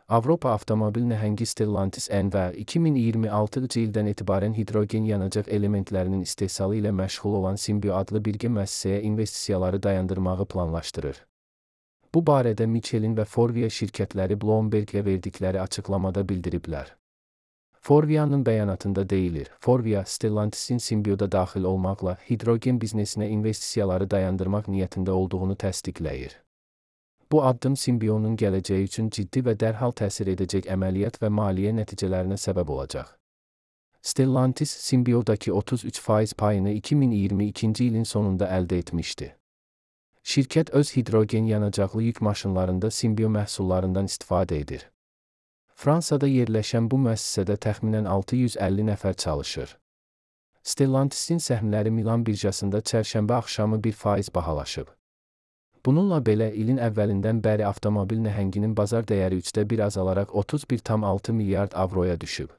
Avropa avtomobil nəhəngi Stellantis NV 2026-cı ildən etibarən hidrogen yanacaq elementlərinin istehsalı ilə məşğul olan Symbio adlı birgə müəssisəyə investisiyaları dayandırmağı planlaşdırır. Bu barədə Michelin və Forvia şirkətləri Bloomberg-ə verdikləri açıqlamada bildiriblər. Forvia'nın bəyanatında deyilir, Forvia, Stellantis'in Symbio'da daxil olmaqla hidrogen biznesinə investisiyaları dayandırmaq niyyətində olduğunu təsdiqləyir. Bu addım Symbio'nun gələcəyi üçün ciddi və dərhal təsir edəcək əməliyyat və maliyyə nəticələrinə səbəb olacaq. Stellantis, Symbio'dakı 33% payını 2022-ci ilin sonunda əldə etmişdi. Şirkət öz hidrogen yanacaqlı yük maşınlarında Symbio məhsullarından istifadə edir. Fransada yerləşən bu müəssisədə təxminən 650 nəfər çalışır. Stellantis'in səhmləri Milan birjasında çərşənbə axşamı 1% bahalaşıb. Bununla belə ilin əvvəlindən bəri avtomobil nəhənginin bazar dəyəri 1/3 azalaraq 31,6 milyard avroya düşüb.